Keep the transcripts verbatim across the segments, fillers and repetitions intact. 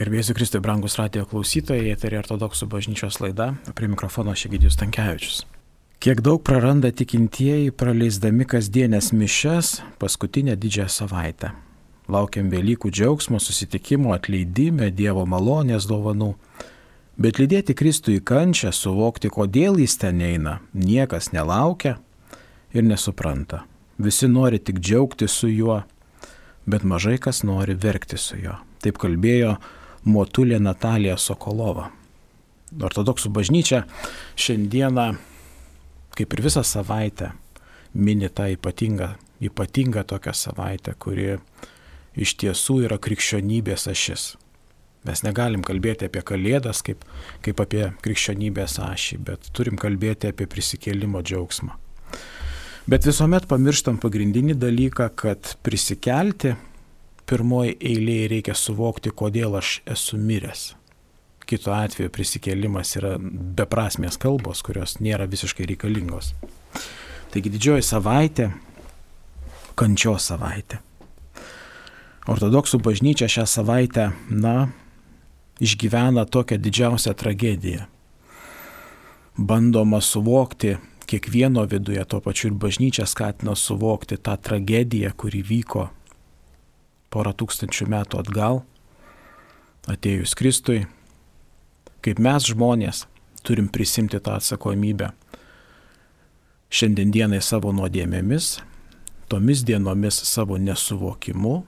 Garbėsiu Kristui, brangus radijo klausytojai, eteryje Ortodoksų bažnyčios laida, prie mikrofono Egidijus Stankevičius. Kiek daug praranda tikintieji, praleisdami kasdienės mišias paskutinę didžiąją savaitę. Laukiam Velykų džiaugsmo, susitikimo, atleidime, Dievo malonės dovanų. Bet lydėti Kristų į kančią, suvokti, kodėl jis ten eina, niekas nelaukia ir nesupranta. Visi nori tik džiaugti su juo, bet mažai kas nori verkti su juo. Taip kalbėjo Motulė Natalija Sokolova. Ortodoksų bažnyčia šiandieną, kaip ir visą savaitę, mini tą ypatingą, ypatingą tokią savaitę, kuri iš tiesų yra krikščionybės ašis. Mes negalim kalbėti apie Kalėdas kaip, kaip apie krikščionybės ašį, bet turim kalbėti apie prisikėlimo džiaugsmą. Bet visuomet pamirštam pagrindinį dalyką, kad prisikelti pirmoji eilėje reikia suvokti, kodėl aš esu miręs. Kitu atveju prisikėlimas yra beprasmės kalbos, kurios nėra visiškai reikalingos. Taigi didžioji savaitė, kančios savaitė. Ortodoksų bažnyčia šią savaitę, na, išgyvena tokią didžiausią tragediją. Bandoma suvokti kiekvieno viduje, tuo pačiu ir bažnyčia skatina suvokti tą tragediją, kuri vyko porą tūkstančių metų atgal, atėjus Kristui, kaip mes žmonės turim prisimti tą atsakomybę šiandienai savo nuodėmėmis, tomis dienomis savo nesuvokimu,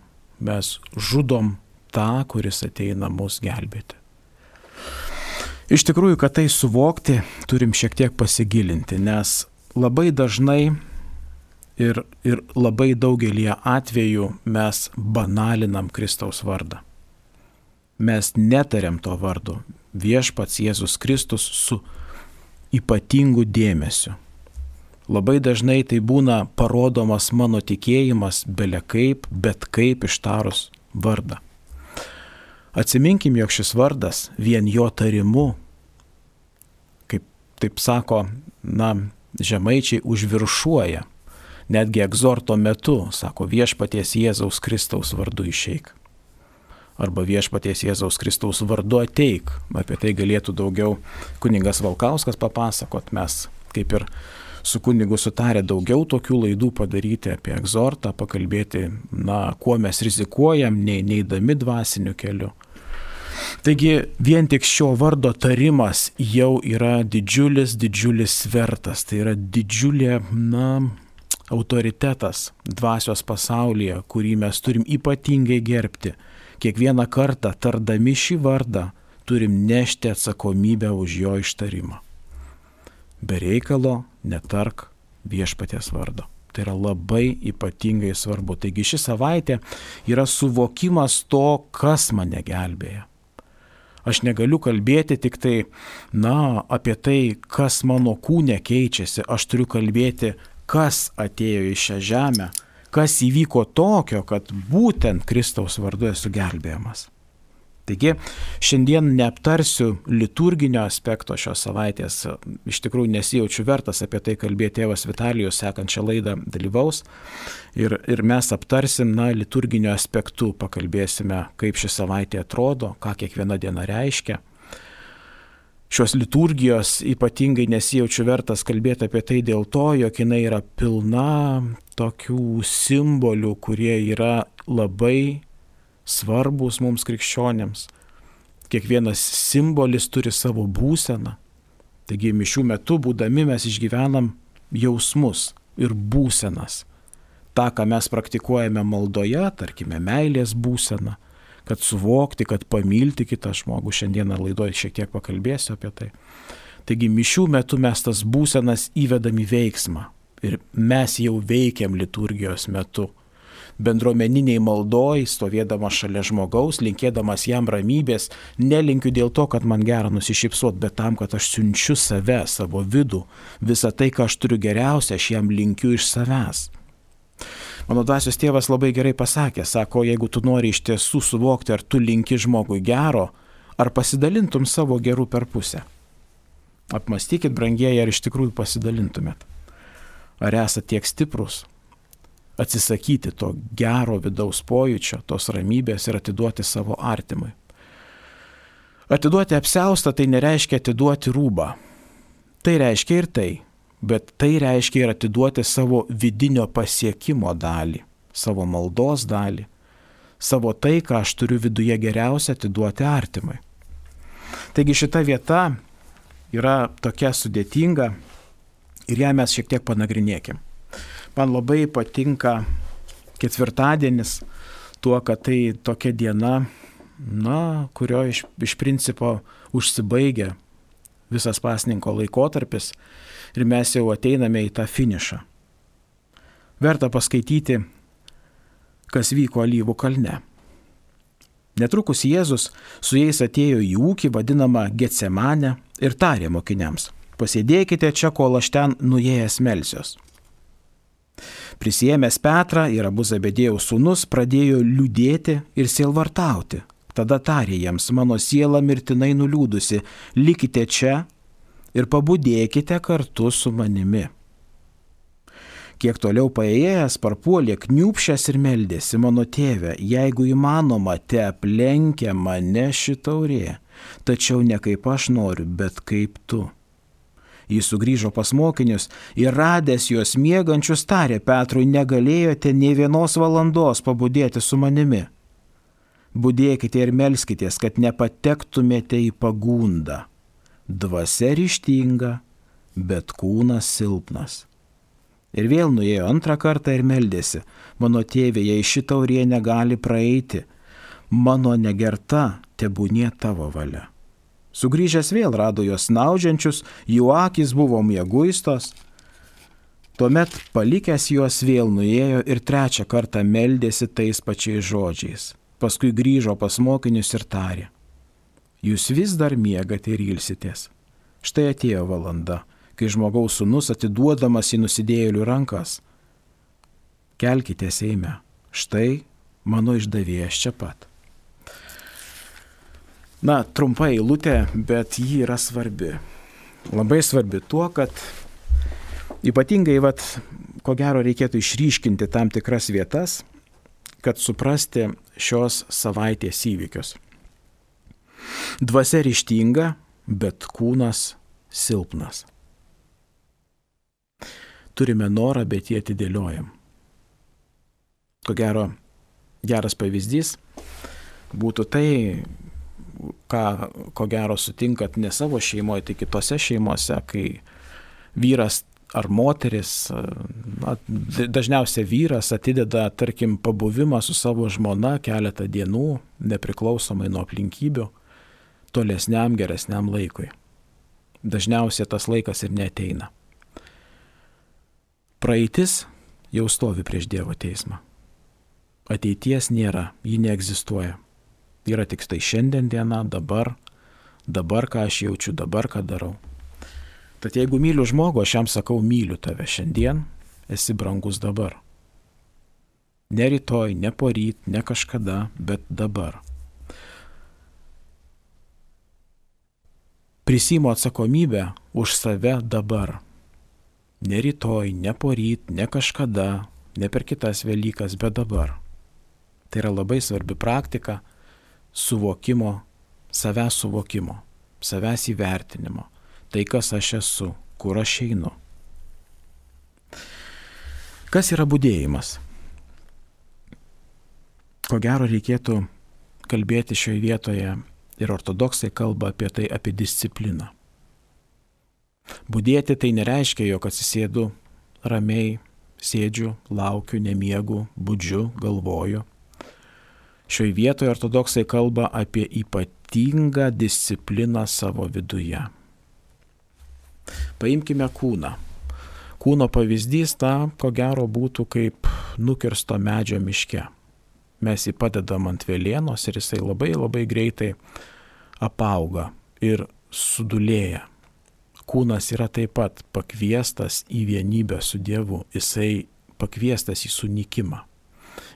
mes žudom tą, kuris ateina mus gelbėti. Iš tikrųjų, kad tai suvokti, turim šiek tiek pasigilinti, nes labai dažnai ir, ir labai daugelį atvejų mes banalinam Kristaus vardą. Mes netariam to vardo. Viešpats Jėzus Kristus su ypatingu dėmesiu. Labai dažnai tai būna parodomas mano tikėjimas bele kaip, bet kaip ištarus vardą. Atsiminkim, jog šis vardas vien jo tarimu, kaip taip sako, na, žemaičiai užviršuoja. Netgi egzorto metu, sako, viešpaties Jėzaus Kristaus vardu išeik. Arba viešpaties Jėzaus Kristaus vardu ateik. Apie tai galėtų daugiau kunigas Valkauskas papasakot. Mes kaip ir su kunigu sutarę daugiau tokių laidų padaryti apie egzortą, pakalbėti, na, kuo mes rizikuojam, nei, neidami dvasiniu keliu. Taigi vien tik šio vardo tarimas jau yra didžiulis, didžiulis svertas. Tai yra didžiulė, na, autoritetas dvasios pasaulyje, kurį mes turim ypatingai gerbti. Kiekvieną kartą tardami šį vardą turim nešti atsakomybę už jo ištarimą. Be reikalo netark viešpaties vardo. Tai yra labai ypatingai svarbu. Taigi ši savaitė yra suvokimas to, kas mane gelbėja. Aš negaliu kalbėti tik tai, na, apie tai, kas mano kūne keičiasi. Aš turiu kalbėti, kas atėjo į šią žemę, kas įvyko tokio, kad būtent Kristaus vardu esu gelbėjamas. Taigi, šiandien neaptarsiu liturginio aspekto šios savaitės, iš tikrųjų nesijaučiu vertas apie tai kalbėti, tėvas Vitalijus sekančią laidą dalyvaus ir, ir mes aptarsim, na, liturginio aspektu, pakalbėsime, kaip ši savaitė atrodo, ką kiekviena diena reiškia. Šios liturgijos ypatingai nesijaučiu vertas kalbėti apie tai dėl to, jog jinai yra pilna tokių simbolių, kurie yra labai svarbus mums krikščionėms. Kiekvienas simbolis turi savo būseną. Taigi mišių metu būdami mes išgyvenam jausmus ir būsenas. Ta, ką mes praktikuojame maldoje, tarkime, meilės būseną, kad suvokti, kad pamilti kitą žmogų. Šiandieną laidoje šiek tiek pakalbėsiu apie tai. Taigi mišių metu mes tas būsenas įvedam į veiksmą ir mes jau veikiam liturgijos metu. Bendruomeniniai maldoj, stovėdamas šalia žmogaus, linkėdamas jam ramybės, nelinkiu dėl to, kad man gera nusišypsot, bet tam, kad aš siunčiu save, savo vidų, visą tai, ką aš turiu geriausia, aš jam linkiu iš savęs. Mano dvasios tėvas labai gerai pasakė, sako, jeigu tu nori iš tiesų suvokti, ar tu linki žmogui gero, ar pasidalintum savo gerų per pusę. Apmastykit, brangieji, ar iš tikrųjų pasidalintumėt. Ar esate tiek stiprus? Atsisakyti to gero vidaus pojūčio, tos ramybės ir atiduoti savo artimui. Atiduoti apsiaustą tai nereiškia atiduoti rūbą. Tai reiškia ir tai, bet tai reiškia ir atiduoti savo vidinio pasiekimo dalį, savo maldos dalį, savo tai, ką aš turiu viduje geriausia, atiduoti artimai. Taigi šita vieta yra tokia sudėtinga ir ją mes šiek tiek panagrinėkim. Man labai patinka ketvirtadienis tuo, kad tai tokia diena, na, kurio iš, iš principo užsibaigia visas pasninko laikotarpis ir mes jau ateiname į tą finišą. Verta paskaityti, kas vyko Alyvų kalne. Netrukus Jėzus su jais atėjo į ūkį vadinamą Getsemanę ir tarė mokiniams: pasėdėkite čia, kol aš ten nuėjęs melsiuos. Prisiėmęs Petrą ir abu Zebediejaus sūnus pradėjo liūdėti ir sielvartauti. Tada tarė jiems: mano siela mirtinai nuliūdusi, likite čia ir pabudėkite kartu su manimi. Kiek toliau paėjęs, parpuolė kniūpšęs ir meldėsi: mano tėve, jeigu įmanoma, te aplenkia mane ši taurė, tačiau ne kaip aš noriu, bet kaip tu. Jis sugrįžo pas mokinius ir radęs juos miegančius tarė Petrui: negalėjote nė vienos valandos pabudėti su manimi. Budėkite ir melskitės, kad nepatektumėte į pagundą. Dvasia ryžtinga, bet kūnas silpnas. Ir vėl nuėjo antrą kartą ir meldėsi: mano tėve, jei ši taurė negali praeiti, mano negerta tebūnie tavo valia. Sugrįžęs vėl rado juos snaudžiančius, jų akys buvo mieguistos. Tuomet palikęs juos vėl nuėjo ir trečią kartą meldėsi tais pačiais žodžiais. Paskui grįžo pas mokinius ir tarė: jūs vis dar miegate ir ilsitės. Štai atėjo valanda, kai žmogaus sūnus atiduodamas į nusidėjėlių rankas. Kelkitės eime, štai mano išdavėjas čia pat. Na, trumpa eilutė, bet ji yra svarbi. Labai svarbi tuo, kad ypatingai, vat, ko gero, reikėtų išryškinti tam tikras vietas, kad suprasti šios savaitės įvykius. Dvasia ryžtinga, bet kūnas silpnas. Turime norą, bet jį atidėliojam. Ko gero, geras pavyzdys būtų tai, ką, ko gero, sutinkat ne savo šeimoje, tai kitose šeimose, kai vyras ar moteris, na, dažniausiai vyras atideda, tarkim, pabuvimą su savo žmona keletą dienų, nepriklausomai nuo aplinkybių, tolesniam geresniam laikui. Dažniausiai tas laikas ir neateina. Praeitis jau stovi prieš Dievo teismą. Ateities nėra, ji neegzistuoja. Yra tik tai šiandien diena, dabar, dabar ką aš jaučiu, dabar ką darau. Tad jeigu myliu žmogų, aš jam sakau: myliu tave šiandien, esi brangus dabar. Ne rytoj, ne poryt, ne kažkada, bet dabar. Prisiimu atsakomybę už save dabar. Ne rytoj, ne poryt, ne kažkada, ne per kitas Velykas, bet dabar. Tai yra labai svarbi praktika suvokimo, savęs suvokimo, savęs įvertinimo. Tai, kas aš esu, kur aš einu. Kas yra budėjimas? Ko gero reikėtų kalbėti šioje vietoje, ir ortodoksai kalba apie tai, apie discipliną. Budėti tai nereiškia, jog atsisėdu ramiai, sėdžiu, laukiu, nemiegu, budžiu, galvoju. Šioje vietoje ortodoksai kalba apie ypatingą discipliną savo viduje. Paimkime kūną. Kūno pavyzdys ta, ko gero, būtų kaip nukirsto medžio miške. Mes jį padedam ant velėnos ir jisai labai labai greitai apauga ir sudulėja. Kūnas yra taip pat pakviestas į vienybę su Dievu. Jisai pakviestas į sunykimą.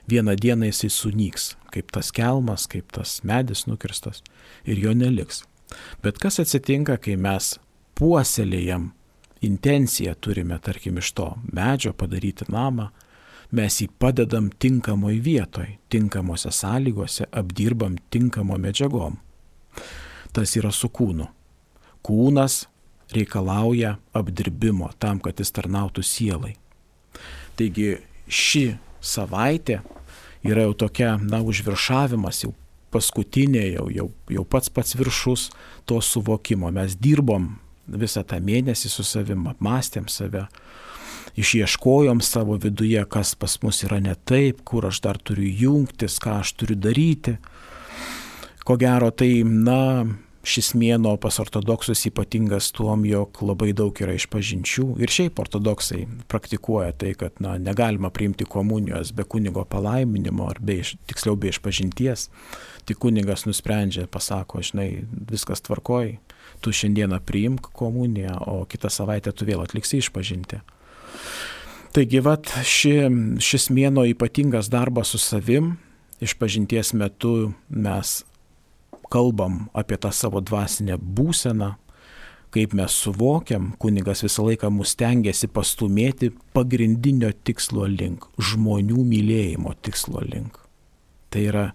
Vieną dieną jisai sunyks, kaip tas kelmas, kaip tas medis nukirstas, ir jo neliks. Bet kas atsitinka, kai mes puoselėjam intenciją, turime, tarkim, iš to medžio padaryti namą, mes jį padedam tinkamoj vietoj, tinkamose sąlygose, apdirbam tinkamo medžiagom. tas yra su kūnu. Kūnas reikalauja apdirbimo tam, kad jis tarnautų sielai. Taigi ši savaitė yra jau tokia, na, užviršavimas, jau paskutinė, jau, jau, jau pats pats viršus to suvokimo. Mes dirbom visą tą mėnesį su savim, apmąstėm save, išieškojom savo viduje, kas pas mus yra ne taip, kur aš dar turiu jungtis, ką aš turiu daryti. Ko gero, tai, na, šis mėnuo pas ortodoksus ypatingas tuom, jog labai daug yra išpažinčių. Ir šiaip ortodoksai praktikuoja tai, kad, na, negalima priimti komunijos be kunigo palaiminimo, ar be, tiksliau be išpažinties. Tik kunigas nusprendžia, pasako, žinai, viskas tvarkoj, tu šiandieną priimk komuniją, o kitą savaitę tu vėl atliksi išpažinti. Taigi, vat, ši, šis mėnuo ypatingas darbas su savim. Išpažinties metu mes kalbam apie tą savo dvasinę būseną, kaip mes suvokiam, kunigas visą laiką mus stengiasi pastumėti pagrindinio tikslo link, žmonių mylėjimo tikslo link. Tai yra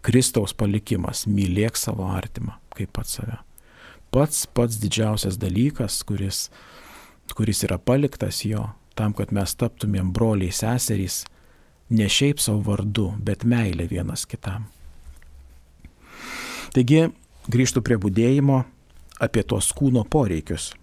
Kristaus palikimas, mylėk savo artimą, kaip pats save. Pats pats didžiausias dalykas, kuris, kuris yra paliktas jo, tam, kad mes taptumėm broliai seserys, ne šiaip savo vardu, bet meilė vienas kitam. Taigi, grįžtu prie budėjimo apie tos kūno poreikius.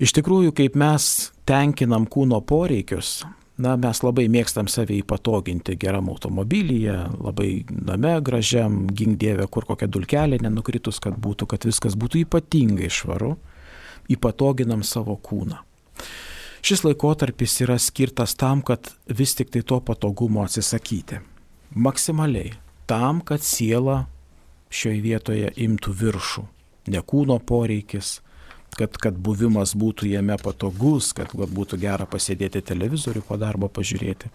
Iš tikrųjų, kaip mes tenkinam kūno poreikius, na, mes labai mėgstam save įpatoginti geram automobilyje, labai name gražiam, gink Dieve, kur kokia dulkelė nenukritus, kad būtų, kad viskas būtų ypatingai švaru, įpatoginam savo kūną. Šis laikotarpis yra skirtas tam, kad vis tik tai to patogumo atsisakyti. Maksimaliai. Tam, kad siela šioje vietoje imtų viršų. Ne kūno poreikis, kad, kad buvimas būtų jame patogus, kad būtų gera pasėdėti televizorių po darbo pažiūrėti.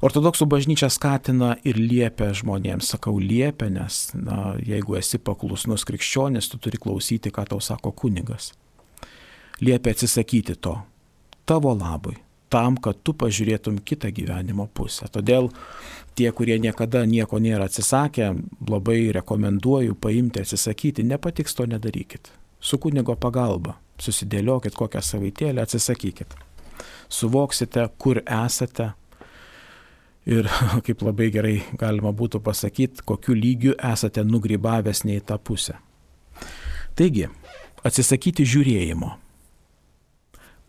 Ortodoksų bažnyčia skatina ir liepia žmonėms, sakau liepia, nes na, jeigu esi paklusnus krikščionis, tu turi klausyti, ką tau sako kunigas. Liepia atsisakyti to, tavo labui, tam, kad tu pažiūrėtum kitą gyvenimo pusę. Todėl tie, kurie niekada nieko nėra atsisakę, labai rekomenduoju paimti, atsisakyti, nepatiks to nedarykit. Su kunigo pagalba susidėliokit kokią savaitėlę, atsisakykit. Suvoksite, kur esate ir, kaip labai gerai galima būtų pasakyti, kokiu lygiu esate nugrybavęs ne į tą pusę. Taigi, atsisakyti žiūrėjimo.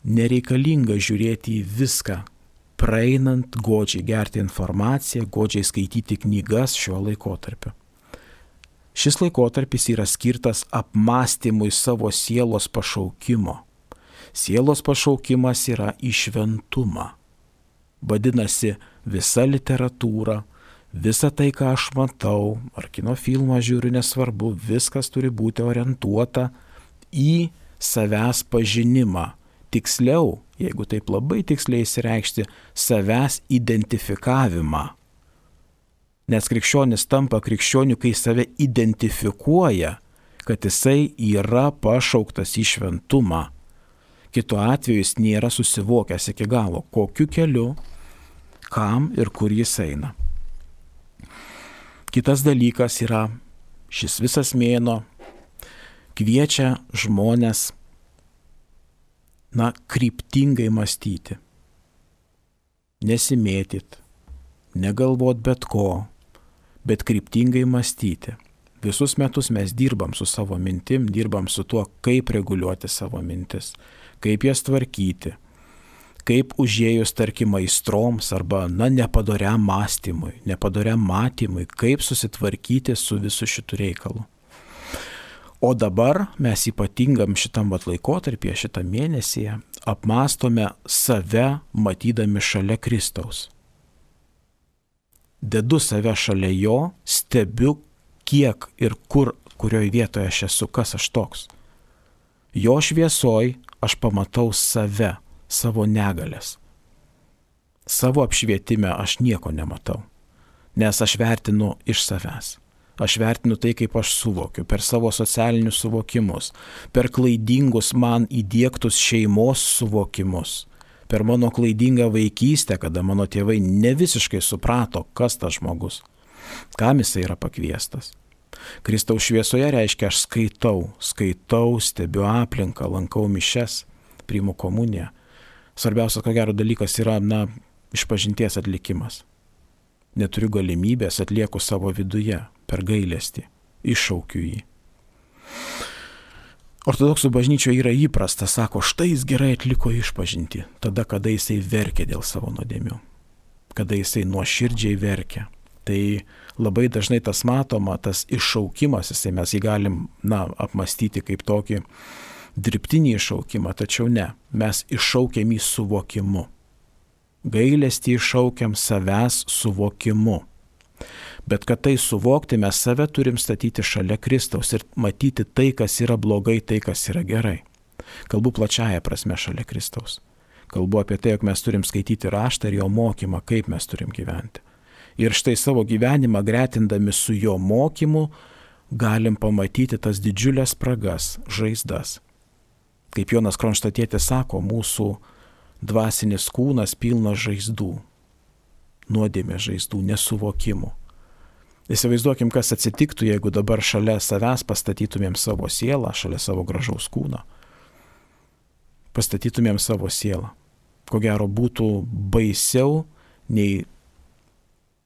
Nereikalinga žiūrėti į viską, praeinant, godžiai gerti informaciją, godžiai skaityti knygas šiuo laikotarpiu. Šis laikotarpis yra skirtas apmąstymui savo sielos pašaukimo. Sielos pašaukimas yra į šventumą. Vadinasi, visa literatūra, visa tai, ką aš matau, ar kino filmą žiūriu, nesvarbu, viskas turi būti orientuota į savęs pažinimą. Tiksliau, jeigu taip labai tiksliai įsireikšti, savęs identifikavimą. Nes krikščionis tampa krikščioniu, kai save identifikuoja, kad jisai yra pašauktas į šventumą. Kitu atveju jis nėra susivokęs iki galo, kokiu keliu, kam ir kur jis eina. Kitas dalykas yra, šis visas mėnuo kviečia žmones na, kryptingai mąstyti, nesimėtyt, negalvot bet ko, bet kryptingai mąstyti. Visus metus mes dirbam su savo mintim, dirbam su tuo, kaip reguliuoti savo mintis, kaip jas tvarkyti, kaip užėjus, tarkim, aistroms arba, na, nepadoriam mąstymui, nepadoriam matymui, kaip susitvarkyti su visu šitu reikalu. O dabar mes ypatingam šitam vat laikotarpyje, šitą mėnesį, apmastome save matydami šalia Kristaus. Dedu save šalia jo, stebiu, kiek ir kur, kurioje vietoje aš esu, kas aš toks. Jo šviesoj aš pamatau save, savo negalės. Savo apšvietime aš nieko nematau, nes aš vertinu iš savęs. Aš vertinu tai, kaip aš suvokiu, per savo socialinius suvokimus, per klaidingus man įdiegtus šeimos suvokimus, per mano klaidingą vaikystę, kada mano tėvai ne visiškai suprato, kas tas žmogus, kam jisai yra pakviestas. Kristaus šviesoje reiškia aš skaitau, skaitau, stebiu aplinką, lankau mišias, priimu komuniją. Svarbiausias, ko gero, dalykas yra, na, išpažinties atlikimas. Neturiu galimybės, atlieku savo viduje, per gailestį, iššaukiu jį. Ortodoksų bažnyčioje yra įprasta, sako, štai jis gerai atliko išpažinti, tada, kada jisai verkia dėl savo nuodėmių, kada jisai nuoširdžiai verkia. Tai labai dažnai tas matoma, tas iššaukimas, jisai mes jį galim, na, apmastyti kaip tokį dirbtinį iššaukimą, tačiau ne, mes iššaukiam jį suvokimu. Gailestį iššaukiam savęs suvokimu. Bet kad tai suvokti, mes save turim statyti šalia Kristaus ir matyti tai, kas yra blogai, tai, kas yra gerai. Kalbu plačiaja prasme šalia Kristaus. Kalbu apie tai, jog mes turim skaityti raštą ir jo mokymą, kaip mes turim gyventi. Ir štai savo gyvenimą gretindami su jo mokymu galim pamatyti tas didžiulės spragas, žaizdas. Kaip Jonas Kronštatietis sako, mūsų dvasinis kūnas pilnas žaizdų, nuodėmės žaizdų, nesuvokimų. Įsivaizduokim, kas atsitiktų, jeigu dabar šalia savęs pastatytumėm savo sielą, šalia savo gražaus kūno. Pastatytumėm savo sielą. Ko gero būtų baisiau nei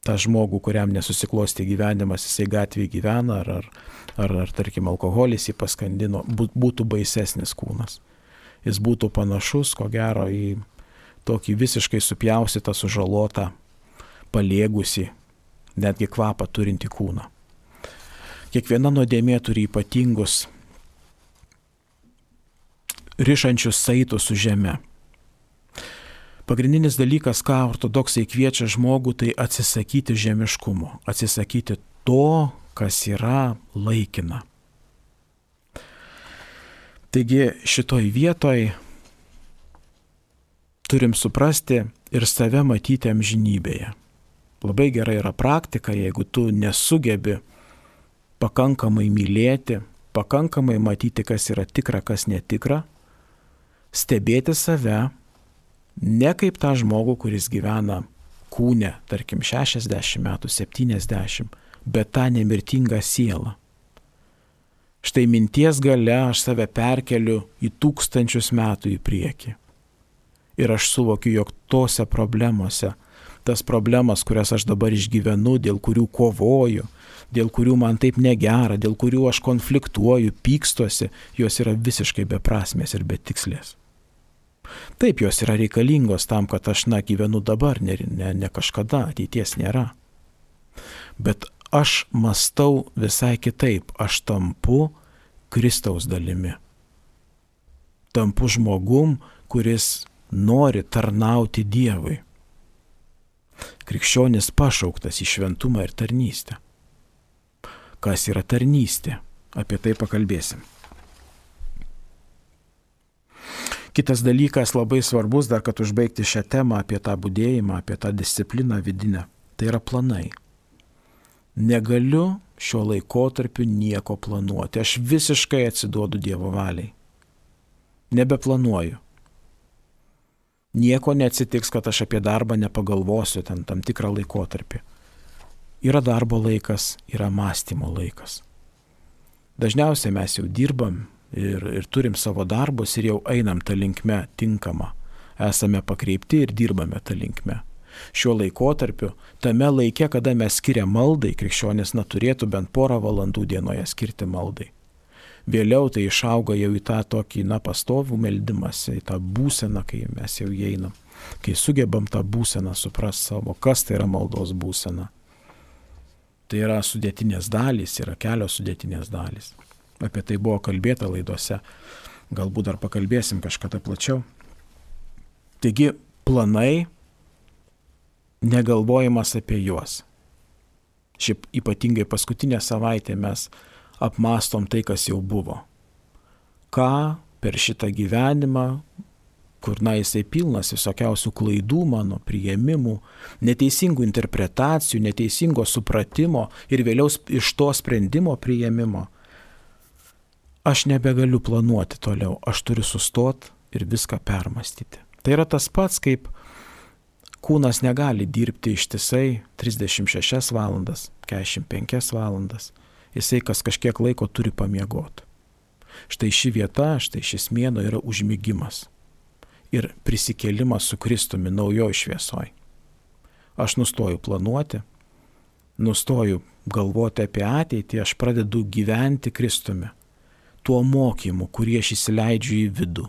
tą žmogų, kuriam nesusiklosti gyvenimas, jisai gatvėje gyvena, ar, ar, ar, ar tarkim, alkoholis jį paskandino, būtų baisesnis kūnas. Jis būtų panašus, ko gero, į tokį visiškai supjaustytą, sužalotą, paliegusi, netgi kvapą turinti kūną. Kiekviena nuodėmė turi ypatingus rišančius saitus su žeme. Pagrindinis dalykas, ką ortodoksai kviečia žmogų, tai atsisakyti žemiškumo, atsisakyti to, kas yra laikina. Taigi šitoj vietoj turim suprasti ir save matyti amžinybėje. Labai gerai yra praktika, jeigu tu nesugebi pakankamai mylėti, pakankamai matyti, kas yra tikra, kas netikra, stebėti save ne kaip tą žmogų, kuris gyvena kūne, tarkim šešiasdešimt metų, septyniasdešimt, bet tą nemirtingą sielą. Štai minties gale aš save perkeliu į tūkstančius metų į priekį. Ir aš suvokiu, jog tose problemose, tas problemas, kurias aš dabar išgyvenu, dėl kurių kovoju, dėl kurių man taip negera, dėl kurių aš konfliktuoju, pykstosi, jos yra visiškai beprasmės ir betikslės. Taip, jos yra reikalingos tam, kad aš, na, gyvenu dabar, ne, ne, ne kažkada, ateities nėra. Bet aš mąstau visai kitaip, aš tampu Kristaus dalimi. Tampu žmogum, kuris nori tarnauti Dievui. Krikščionis pašauktas į šventumą ir tarnystę. Kas yra tarnystė? Apie tai pakalbėsim. Kitas dalykas labai svarbus, dar kad užbaigti šią temą apie tą budėjimą, apie tą discipliną vidinę, tai yra planai. Negaliu šiuo laikotarpiu nieko planuoti. Aš visiškai atsiduodu Dievo valiai. Nebeplanuoju. Nieko neatsitiks, kad aš apie darbą nepagalvosiu ten tam tikrą laikotarpį. Yra darbo laikas, yra mąstymo laikas. Dažniausiai mes jau dirbam ir, ir turim savo darbus ir jau einam tą linkme tinkamą. Esame pakreipti ir dirbame tą linkme. Šiuo laikotarpiu, tame laike, kada mes skiriam maldai, krikščionis neturėtų bent porą valandų dienoje skirti maldai. Vėliau tai išauga jau į tą tokį, na, pastovų meldimąsi, į tą būseną, kai mes jau įeinam. Kai sugebam tą būseną suprast savo, kas tai yra maldos būsena. Tai yra sudėtinės dalys, yra kelios sudėtinės dalys. Apie tai buvo kalbėta laidose. Galbūt dar pakalbėsim kažkada plačiau. Taigi, planai, negalvojimas apie juos. Šiaip ypatingai paskutinę savaitę mes apmastom tai, kas jau buvo. Ką per šitą gyvenimą, kur, na, jisai pilnas visokiausių klaidų mano, priėmimų, neteisingų interpretacijų, neteisingo supratimo ir vėliau iš to sprendimo priėmimo, aš nebegaliu planuoti toliau, aš turiu sustoti ir viską permastyti. Tai yra tas pats, kaip kūnas negali dirbti ištisai trisdešimt šešias valandas, keturiasdešimt penkias valandas. jisai kas kažkiek laiko turi pamiegoti. Štai ši vieta, štai šis mėnuo yra užmigimas ir prisikėlimas su Kristumi naujoj šviesoj. Aš nustoju planuoti, nustoju galvoti apie ateitį, aš pradedu gyventi Kristumi, tuo mokymu, kurį aš įsileidžiu į vidų,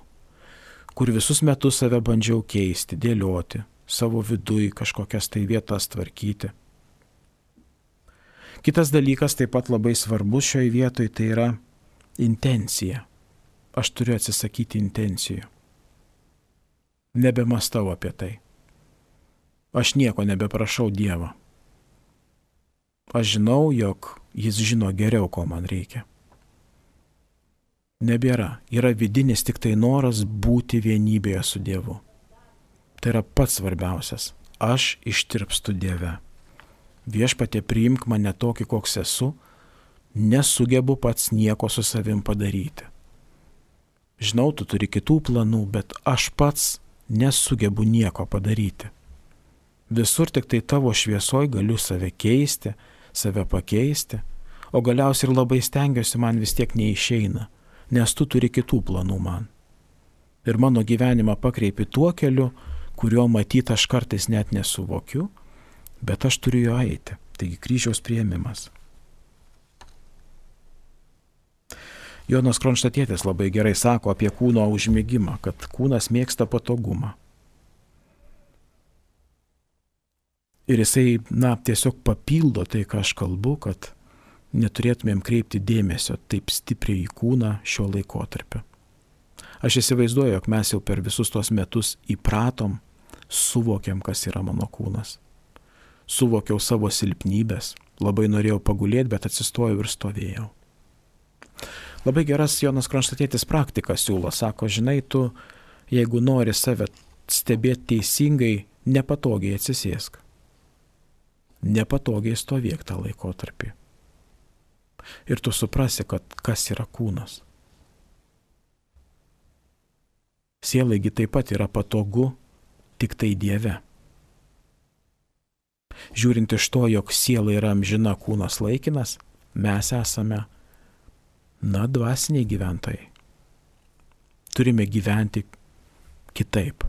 kur visus metus save bandžiau keisti, dėlioti, savo vidui kažkokias tai vietas tvarkyti. Kitas dalykas taip pat labai svarbus šioje vietoje, tai yra intencija. Aš turiu atsisakyti intencijų. Nebemastau apie tai. Aš nieko nebeprašau Dievo. Aš žinau, jog Jis žino geriau, ko man reikia. Nebėra. Yra vidinis tik tai noras būti vienybėje su Dievu. Tai yra pats svarbiausias. Aš ištirpstu Dieve. Viešpatie, priimk mane tokį, koks esu, nesugebu pats nieko su savim padaryti. Žinau, tu turi kitų planų, bet aš pats nesugebu nieko padaryti. Visur tik tai tavo šviesoj galiu save keisti, save pakeisti, o galiausiai ir labai stengiuosi, man vis tiek neišeina, nes tu turi kitų planų man. Ir mano gyvenimą pakreipi tuo keliu, kurio matyt aš kartais net nesuvokiu, bet aš turiu jo eiti. Taigi kryžiaus priėmimas. Jonas Kronštatietis labai gerai sako apie kūno užmigimą, kad kūnas mėgsta patogumą. Ir jisai, na, tiesiog papildo tai, ką aš kalbu, kad neturėtumėm kreipti dėmesio taip stipriai į kūną šio laikotarpio. Aš įsivaizduoju, jog mes jau per visus tos metus įpratom, suvokiam, kas yra mano kūnas. Suvokiau savo silpnybės, labai norėjau pagulėti, bet atsistojau ir stovėjau. Labai geras Jonas Kronštatietis praktikas siūlo, sako, žinai, tu, jeigu nori save stebėti teisingai, nepatogiai atsisėsk. Nepatogiai stovėk tą laikotarpį. Ir tu suprasi, kad kas yra kūnas. Sielaigi taip pat yra patogu tik tai Dieve. Žiūrint iš to, jog siela yra amžina, kūnas laikinas, mes esame, na, dvasiniai gyventojai. Turime gyventi kitaip.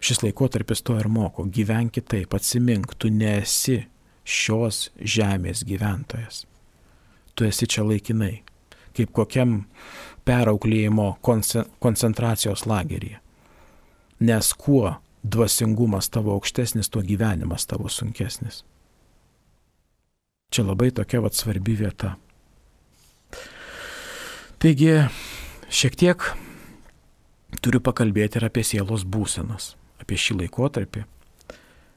Šis laikotarpis to ir moko. Gyvenk kitaip, atsimink, tu nesi šios žemės gyventojas. Tu esi čia laikinai, kaip kokiam perauklėjimo koncentracijos lageryje. Nes kuo dvasingumas tavo aukštesnis, tuo gyvenimas tavo sunkesnis. Čia labai tokia vat svarbi vieta. Taigi, šiek tiek turiu pakalbėti ir apie sielos būsenas, apie šį laikotarpį,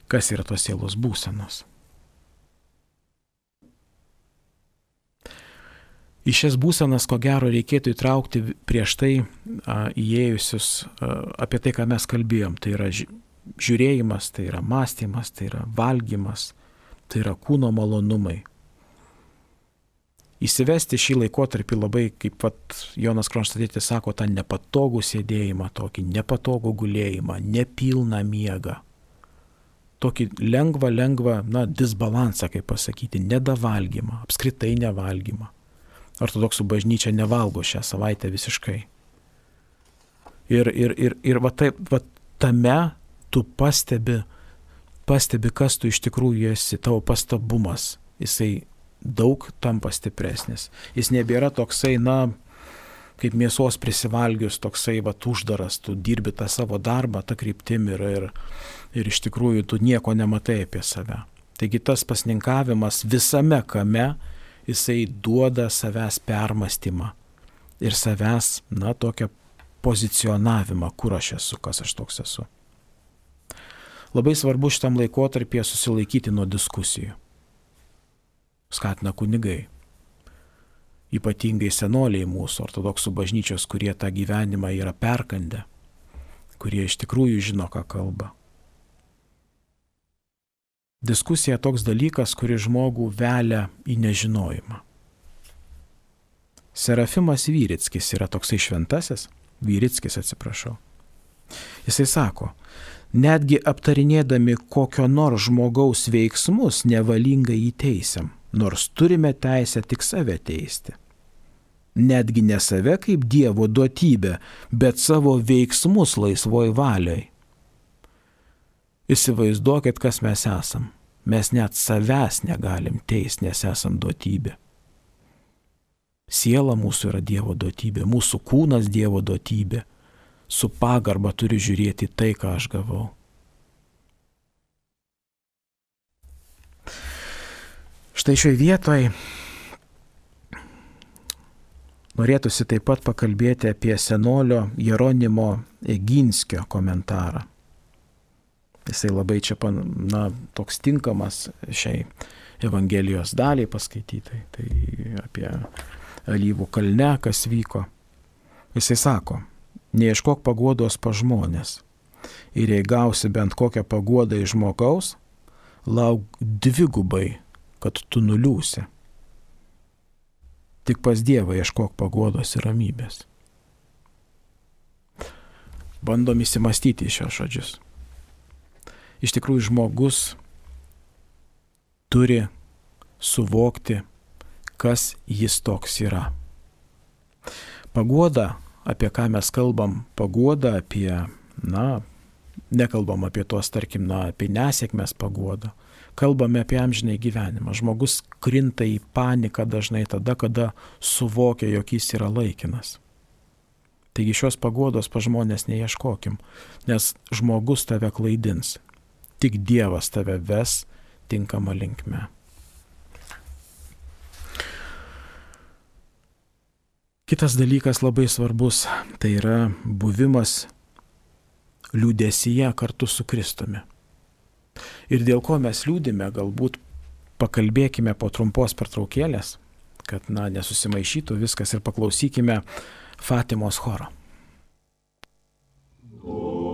kas yra tos sielos būsenos. Į šias būsenas, ko gero, reikėtų įtraukti prieš tai a, įėjusius a, apie tai, ką mes kalbėjom. Tai yra žiūrėjimas, tai yra mąstymas, tai yra valgymas, tai yra kūno malonumai. Įsivesti šį laikotarpį labai, kaip pat Jonas Kronštatietis sako, tą nepatogų sėdėjimą, tokį nepatogų gulėjimą, nepilną miegą. Tokį lengvą, lengvą, na, disbalansą, kaip pasakyti, nedavalgymą, apskritai nevalgymą. Ortodoksų bažnyčia nevalgo šią savaitę visiškai. Ir, ir, ir, ir va, taip, va tame tu pastebi, pastebi, kas tu iš tikrųjų esi, tavo pastabumas, jisai daug tampa stipresnis. Jis nebėra toksai, na, kaip mėsos prisivalgius, toksai, va, uždaras, tu dirbi tą savo darbą, tą kryptim ir, ir, ir iš tikrųjų tu nieko nematai apie save. Taigi tas pasninkavimas visame kame, jisai duoda savęs permastymą ir savęs, na, tokią pozicionavimą, kur aš esu, kas aš toks esu. Labai svarbu šitam laikotarpyje susilaikyti nuo diskusijų. Skatina kunigai, ypatingai senoliai mūsų ortodoksų bažnyčios, kurie tą gyvenimą yra perkandę, kurie iš tikrųjų žino, ką kalba. Diskusija toks dalykas, kuris žmogų velia į nežinojimą. Serafimas Vyrickis yra toksai šventasis, Vyrickis atsiprašau. Jisai sako, netgi aptarinėdami kokio nors žmogaus veiksmus nevalingai įteisiam. nors turime teisę tik save teisti. Netgi ne save kaip Dievo duotybę, bet savo veiksmus laisvoj valioj. Įsivaizduokit, kas mes esam. Mes net savęs negalim teisti, nes esam duotybė. Siela mūsų yra Dievo duotybė, mūsų kūnas Dievo duotybė. Su pagarba turiu žiūrėti tai, ką aš gavau. Štai šioje vietoje norėtųsi taip pat pakalbėti apie senolio Jeronimo Eginskio komentarą. Jisai labai čia, na, toks tinkamas šiai Evangelijos daliai paskaitytai, tai apie Alyvų kalne, kas vyko. Jisai sako, neieškok paguodos pa žmonės ir jei gausi bent kokią paguodą iš žmogaus, lauk dvigubai, kad tu nuliūsi. Tik pas Dievą ieškok paguodos ir ramybės. Bandom įsimastyti šios žodžius. Iš tikrųjų, žmogus turi suvokti, kas jis toks yra. Paguoda, apie ką mes kalbam, paguoda apie, na, nekalbam apie tuos, tarkim, na, apie nesėkmės paguodą. Kalbame apie amžinai gyvenimą. Žmogus krinta į paniką dažnai tada, kada suvokia, jog jis yra laikinas. Taigi šios paguodos pa žmonės neieškokim, nes žmogus tave klaidins. Tik Dievas tave ves tinkama linkme. Kitas dalykas labai svarbus, tai yra buvimas liūdesyje kartu su Kristumi. Ir dėl ko mes liūdime, galbūt pakalbėkime po trumpos pertraukėlės, kad, na, nesusimaišytų viskas ir paklausykime Fatimos choro. Oh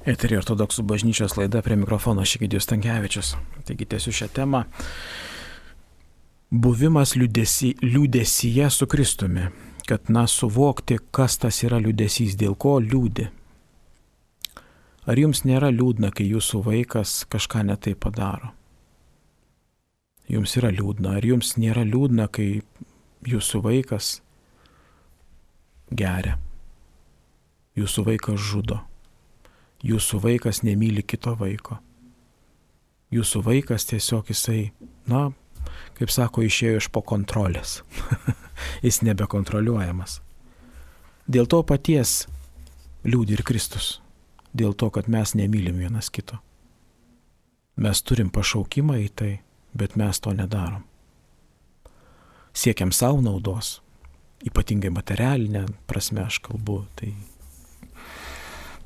Eterį ortodoksų bažnyčios laida, prie mikrofono Egidijus Stankevičius. Taigi tęsiu šią temą. Buvimas liūdesy, liūdesyje su Kristumi. Kad, na, suvokti, kas tas yra liūdesys, dėl ko liūdi. Ar jums nėra liūdna, kai jūsų vaikas kažką ne taip padaro? Jums yra liūdna. Ar jums nėra liūdna, kai jūsų vaikas geria? Jūsų vaikas žudo. Jūsų vaikas nemyli kito vaiko. Jūsų vaikas tiesiog jisai, na, kaip sako, išėjo iš po kontrolės. Jis nebekontroliuojamas. Dėl to paties liūdi ir Kristus. Dėl to, kad mes nemylim vienas kito. Mes turim pašaukimą į tai, bet mes to nedarom. Siekiam savo naudos, ypatingai materialinę prasme aš kalbu, tai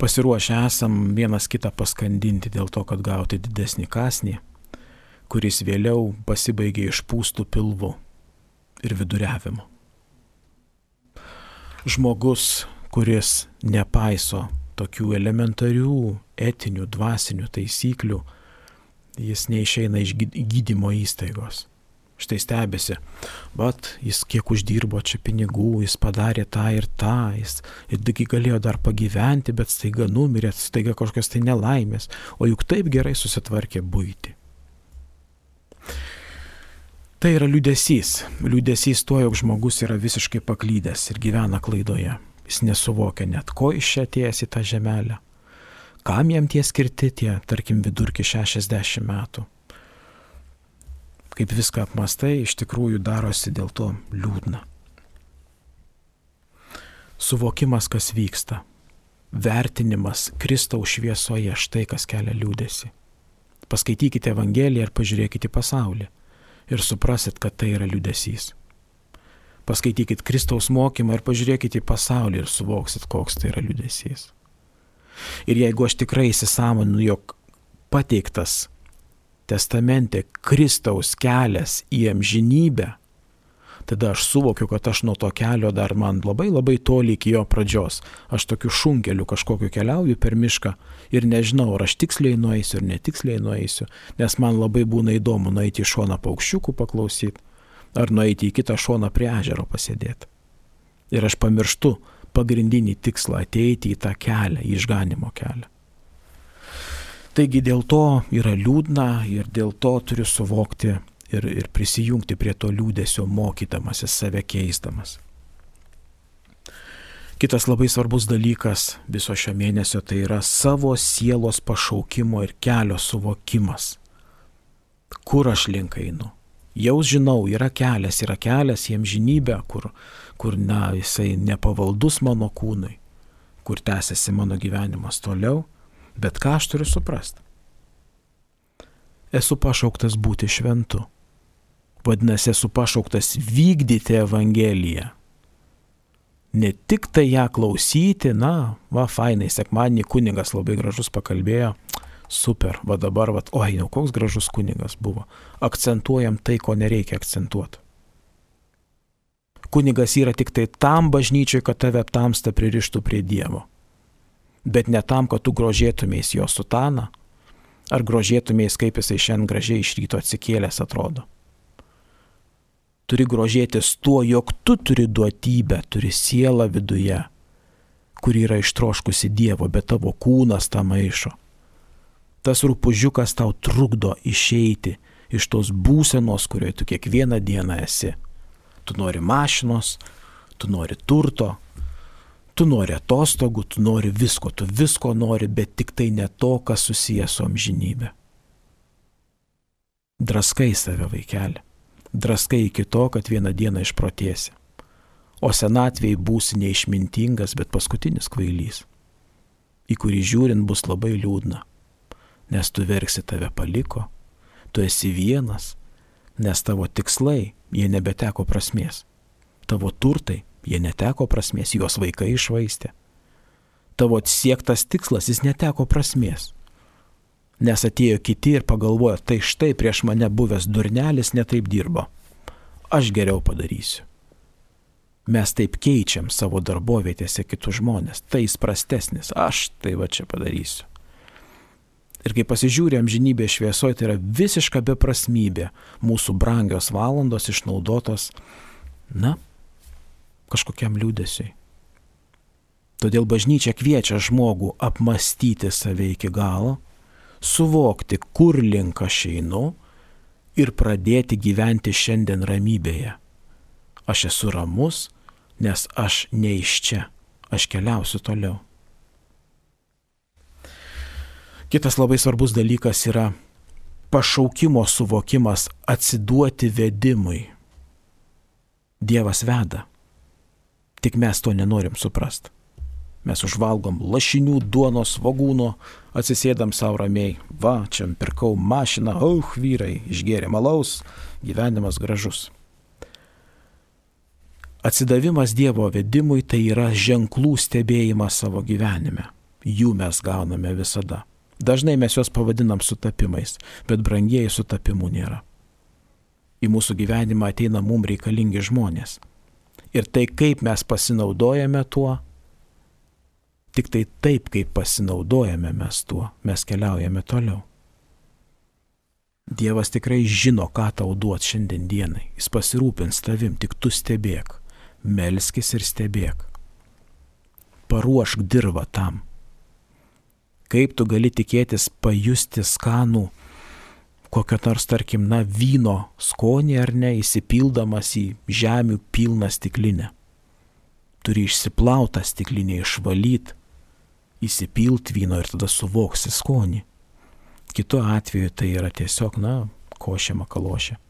pasiruošę esam vienas kitą paskandinti dėl to, kad gauti didesnį kąsnį, kuris vėliau pasibaigia išpūstų pilvu ir viduriavimu. Žmogus, kuris nepaiso tokių elementarių etinių, dvasinių taisyklių, jis neišeina iš gydymo įstaigos. Štai stebėsi, vat jis kiek uždirbo čia pinigų, jis padarė tą ir tą, jis ir galėjo dar pagyventi, bet staiga numirė, staiga kažkokios tai nelaimės, o juk taip gerai susitvarkė buitį. Tai yra liūdesys. Liūdesys tuo, jog žmogus yra visiškai paklydęs ir gyvena klaidoje. Jis nesuvokia net, ko iš čia atėjęs į tą žemelę. Kam jam tie skirti tie, tarkim, vidurki šešiasdešimt metų. Kaip viską apmastai, iš tikrųjų darosi dėl to liūdna. Suvokimas, kas vyksta. Vertinimas Kristaus šviesoje, štai kas kelia liūdesį. Paskaitykite Evangeliją ir pažiūrėkite į pasaulį. Ir suprasit, kad tai yra liūdesys. Paskaitykite Kristaus mokymą ir pažiūrėkite į pasaulį ir suvoksit, koks tai yra liūdesys. Ir jeigu aš tikrai įsisąmoninu, jog pateiktas testamente Kristaus kelias į amžinybę, tada aš suvokiu, kad aš nuo to kelio dar man labai labai toli iki jo pradžios. Aš tokiu šunkeliu kažkokiu keliauju per mišką ir nežinau, ar aš tiksliai nueisiu ar netiksliai nueisiu, nes man labai būna įdomu nueiti į šoną paukščiukų paklausyti, ar nueiti į kitą šoną prie ežero pasėdėti. Ir aš pamirštu pagrindinį tikslą ateiti į tą kelią, į išganimo kelią. Taigi dėl to yra liūdna ir dėl to turiu suvokti ir, ir prisijungti prie to liūdesio, mokydamasis, save keisdamas. Kitas labai svarbus dalykas viso šio mėnesio tai yra savo sielos pašaukimo ir kelio suvokimas. Kur aš link einu? Jau žinau, yra kelias, yra kelias į amžinybę, kur, kur na, jisai nepavaldus mano kūnui, kur tęsiasi mano gyvenimas toliau. Bet ką aš turiu suprasti? Esu pašauktas būti šventu. Vadinasi, esu pašauktas vykdyti Evangeliją. Ne tik tai ją klausyti, na, va, fainai, sekmadienį kunigas labai gražus pakalbėjo, super, va dabar, va, oi, jau koks gražus kunigas buvo. Akcentuojam tai, ko nereikia akcentuoti. Kunigas yra tik tai tam bažnyčiai, kad tave tamsta pririštų prie Dievo. Bet ne tam, kad tu grožėtumės jo sutaną, ar grožėtumės, kaip jisai šiandien gražiai iš ryto atsikėlęs atrodo. Turi grožėtis tuo, jog tu turi duotybę, turi sielą viduje, kuri yra ištroškusi Dievo, bet tavo kūnas tą maišo. Tas rūpužiukas tau trukdo išeiti iš tos būsenos, kurioje tu kiekvieną dieną esi. Tu nori mašinos, tu nori turto, tu nori atostogų, tu nori visko, tu visko nori, bet tik tai ne to, kas susijęs su amžinybė. Draskai save, vaikeli. Draskai iki to, kad vieną dieną išprotėsi. O senatvėje būsi neišmintingas, bet paskutinis kvailys, į kurį žiūrint bus labai liūdna, nes tu verksi, tave paliko, tu esi vienas, nes tavo tikslai, jie nebeteko prasmės. Tavo turtai, jie neteko prasmės, juos vaikai išvaistė. Tavo siektas tikslas, jis neteko prasmės. Nes atėjo kiti ir pagalvojo, tai štai prieš mane buvęs durnelis netaip dirbo. Aš geriau padarysiu. Mes taip keičiam savo darbovietėse kitus žmonės. Tai jis prastesnis, aš tai va čia padarysiu. Ir kai pasižiūrė amžinybė šviesoje, tai yra visiška beprasmybė mūsų brangios valandos išnaudotos, na, kažkokiam liūdesiui. Todėl bažnyčia kviečia žmogų apmastyti save iki galo, suvokti, kur link aš einu ir pradėti gyventi šiandien ramybėje. Aš esu ramus, nes aš ne iš čia, aš keliausiu toliau. Kitas labai svarbus dalykas yra pašaukimo suvokimas, atsiduoti vedimui. Dievas veda, tik mes to nenorim suprasti. Mes užvalgom lašinių, duonos, svogūno, atsisėdam savo ramiai. Va, čia pirkau mašiną, auch, vyrai, išgėrė malaus, gyvenimas gražus. Atsidavimas Dievo vedimui tai yra ženklų stebėjimas savo gyvenime. Jų mes gauname visada. Dažnai mes juos pavadinam sutapimais, bet brangieji sutapimų nėra. Į mūsų gyvenimą ateina mums reikalingi žmonės. Ir tai, kaip mes pasinaudojame tuo, tik tai taip, kaip pasinaudojame mes tuo, mes keliaujame toliau. Dievas tikrai žino, ką tau duot šiandien dienai. Jis pasirūpins tavim, tik tu stebėk. Melskis ir stebėk. Paruošk dirvą tam. Kaip tu gali tikėtis pajusti skanų kokio nors, tarkim, na, vyno skonį ar ne, įsipildamas į žemių pilną stiklinę. Turi išsiplautą stiklinę, išvalyti, įsipilt vyno ir tada suvoksi skonį. Kitu atveju tai yra tiesiog, na, košė makalošė.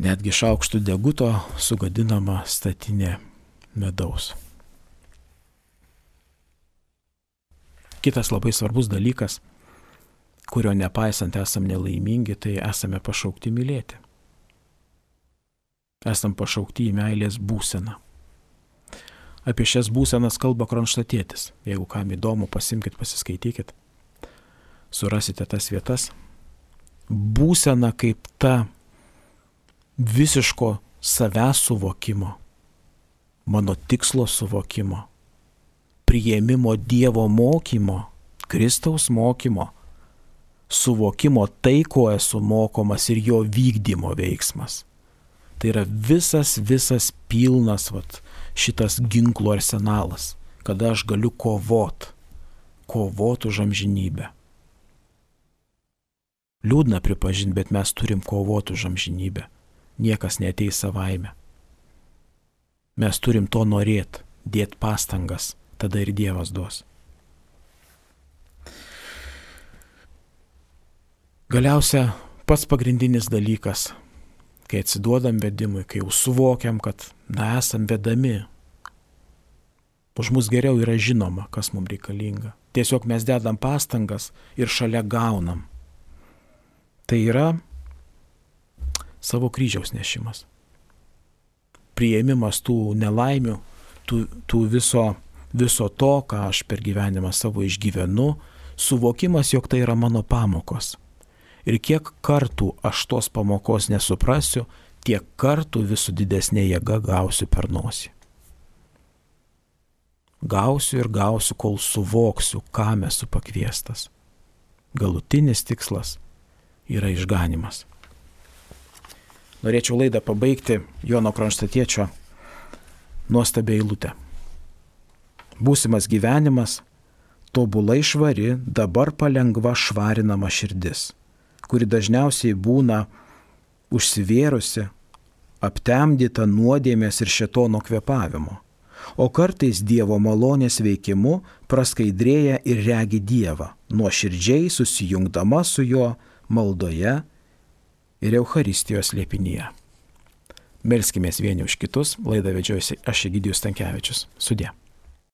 Netgi šaukštų deguto sugadinama statinė medaus. Kitas labai svarbus dalykas, kurio nepaisant esam nelaimingi, tai esame pašaukti mylėti. Esam pašaukti į meilės būseną. Apie šias būsenas kalba Kronštatietis. Jeigu kam įdomu, pasimkit, pasiskaitykit. Surasite tas vietas. Būsena kaip ta visiško savęs suvokimo, mano tikslo suvokimo, priėmimo Dievo mokymo, Kristaus mokymo, suvokimo tai, ko esu mokomas ir jo vykdymo veiksmas. Tai yra visas, visas pilnas vat, šitas ginklų arsenalas, kada aš galiu kovot, kovot už amžinybę. Liūdna pripažinti, bet mes turim kovoti už amžinybę. Niekas neateis savaime. Mes turim to norėti, dėti pastangas, tada ir Dievas duos. Galiausia, pats pagrindinis dalykas, kai atsiduodam vedimui, kai jau suvokiam, kad na, esam vedami, už mus geriau yra žinoma, kas mums reikalinga. Tiesiog mes dedam pastangas ir šalia gaunam. Tai yra savo kryžiaus nešimas. Priėmimas tų nelaimių, tų, tų viso, viso to, ką aš per gyvenimą savo išgyvenu, suvokimas, jog tai yra mano pamokos. Ir kiek kartų aš tos pamokos nesuprasiu, tiek kartų vis su didesnė jėga gausiu per nosį. Gausiu ir gausiu, kol suvoksiu, kam esu pakviestas. Galutinis tikslas yra išganimas. Norėčiau laidą pabaigti Jono Kronštatiečio nuostabią eilutę. Būsimas gyvenimas, tobulai švari, dabar palengva švarinama širdis, kuri dažniausiai būna užsivėrusi, aptemdyta nuodėmės ir šėtono kvėpavimo, o kartais Dievo malonės veikimu praskaidrėja ir regi Dievą, nuoširdžiai susijungdama su juo maldoje ir Eucharistijos slėpinyje. Melskimės vieni už kitus, laidą vedžiojusi aš Egidijus Stankevičius. Sudie.